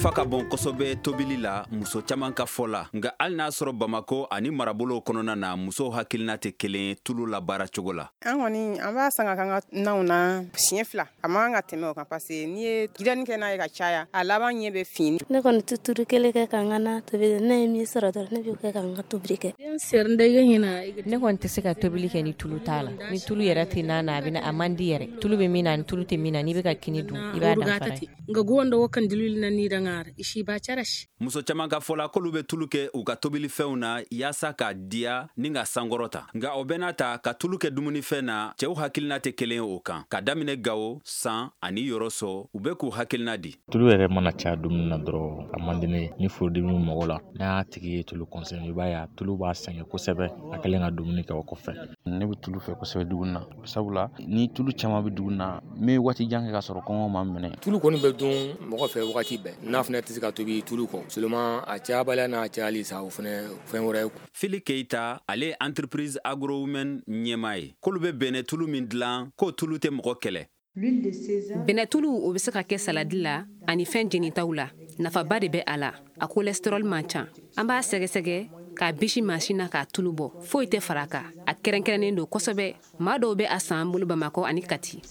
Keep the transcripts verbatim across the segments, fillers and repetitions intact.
nafa ka bon kosɛbɛ tobili la, muso caman ka fɔ la. Nka hali n'a sɔrɔ Bamako ani marabolow kɔnɔna na, musow hakilina tɛ kelen tulu la baara cogo la. An kɔni, an b'a san ka k'an ka naw na siɲɛ fila. A man kan ka tɛmɛ o kan, parce que n'i ye dilanni kɛ n'a ye ka caya, a laban ɲɛ bɛ fin. Ne kɔni tɛ tulu kelen kɛ ka n ka na tobi. Ne ye min sɔrɔ dɔrɔn, ne b'o kɛ ka n ka tobili kɛ. Ne kɔni tɛ se ka tobili kɛ ni tulu t'a la. Ni tulu yɛrɛ tɛ na na, a bɛ a man di yɛrɛ. Tulu bɛ min na ni tulu tɛ min na, n'i bɛ ka kini dun, i b'a danfara ye. Muso caman ka fɔ la, k'olu bɛ tulu kɛ u ka tobilifɛnw na yaasa k'a diya ni ka sankɔrɔta. Nka o bɛɛ n'a ta, ka tulu kɛ dumunifɛn na, cɛw hakilina tɛ kelen ye o kan. Ka daminɛ Gawo, San ani Yɔrɔsɔ, u bɛ k'u hakilina di. Tulu yɛrɛ mana caya dumuni na dɔrɔn, a man di ne ye. Ni furudimi bɛ mɔgɔ la, n'a tigi ye tulu consommer, i b'a ye a tulu b'a sɛgɛn kosɛbɛ a kɛlen ka dumuni kɛ o kɔfɛ. Ne bɛ tulu fɛ kosɛbɛ dumuni na, sabula ni tulu caman bɛ dumuni na, n bɛ waati jan kɛ ka sɔrɔ kɔngɔ ma n minɛ. Tulu kɔni bɛ dun mɔgɔ fɛ wagati bɛɛ. N'a fana tɛ se ka tobi tulu kɔ seulement, a cayabaliya n'a cayali sa, o fana fɛn wɛrɛ ye. Fili Keyita, ale ye entreprise Agro Women ɲɛmaa ye. K'olu bɛ bɛnɛ tulu min dilan, k'o tulu tɛ mɔgɔ kɛlɛ. Bɛnɛtulu, o bɛ se ka kɛ saladi la ani fɛn jenitaw la. Nafaba de bɛ a la. A cholestérol man ca. An b'a sɛgɛsɛgɛ k'a bisi mansin na k'a tulu bɔ. Foyi tɛ fara a kan. A kɛrɛnkɛrɛnnen don kosɛbɛ. Maa dɔw bɛ a san an bolo Bamakɔ ani Kati.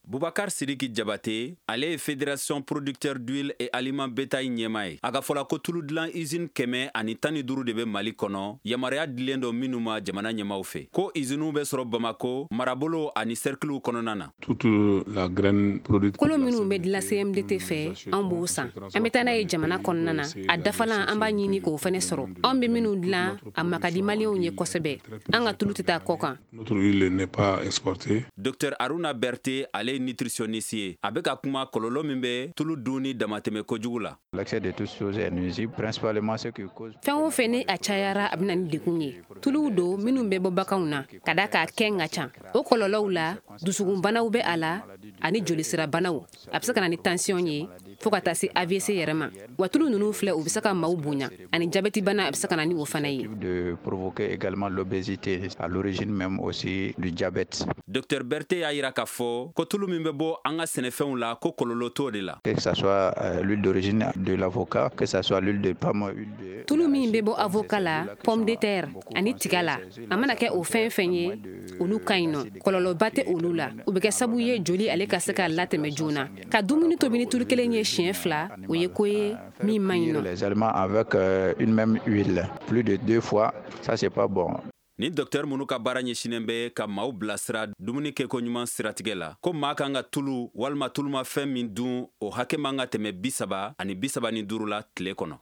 Bubakar Sidiki Jabate, ale ye Fédération producteur d'huile et aliment bétail ɲɛmaa ye. A ka fɔla ko tulu dilan usine kɛmɛ ani tan ni duuru de bɛ Mali kɔnɔ, yamaruya dilen don minnu ma jamana ɲɛmaw fɛ. Ko usines bɛ sɔrɔ Bamako marabolo ani cercles kɔnɔna na. Kolo minnu bɛ dilan C M D T fɛ, an b'o san, an bɛ taa n'a ye jamana kɔnɔna na. A dafalan, an b'a ɲini k'o fana sɔrɔ. Anw bɛ minnu dilan, a makadi Maliyɛnw ye kosɛbɛ. An ka tulu tɛ taa kɔ kan. Docteur Aruna Berthe, ale ye nutritionniste ye. A bɛ ka kuma kɔlɔlɔ min bɛ tulu dun ni damatɛmɛ kojugu la. Fɛn o fɛn ni a cayara, a bɛ na ni degun ye. Tuluw don minnu bɛ bɔ baganw na, ka da k'a kɛn ka ca. O kɔlɔlɔw la, dusukunbanaw bɛ a la ani jolisirabanaw. A bɛ se ka na ni tension ye fo ka taa se A V C yɛrɛ ma. Wa tulu ninnu filɛ, u bɛ se ka maaw bonya ani jabɛti bana, a bɛ se ka na ni o fana ye. De provoquer également l'obésité, à l'origine même aussi du diabète. Docteur Berthe y'a yira k'a fɔ ko tulu min bɛ bɔ an ka sɛnɛfɛnw la, ko kɔlɔlɔ t'o de la. Que ça soit euh, l'huile d'origine de l'avocat, que ça soit l'huile de palme, huile de Tulu min bɛ bɔ avocat la, pomme de terre ani tiga la, a mana kɛ o fɛn fɛn ye, olu ka ɲi nɔ. Kɔlɔlɔba tɛ olu la. U bɛ kɛ sababu ye joli ale ka se ka latɛmɛ joona. Ka dumuni tobi ni tulu kelen ye siɲɛ fila, o ye ko ye min man ɲi nɔ. Les aliments avec euh, une même huile plus de deux fois, ça c'est pas bon. Ni docteur minnu ka baara ɲɛsinnen bɛ ka maaw bilasira dumuni kɛko ɲuman siratigɛ la, ko maa kan ka tulu walima tulumafɛn min dun, o hakɛ man ka tɛmɛ bi saba ani bi saba ni duuru la tile kɔnɔ.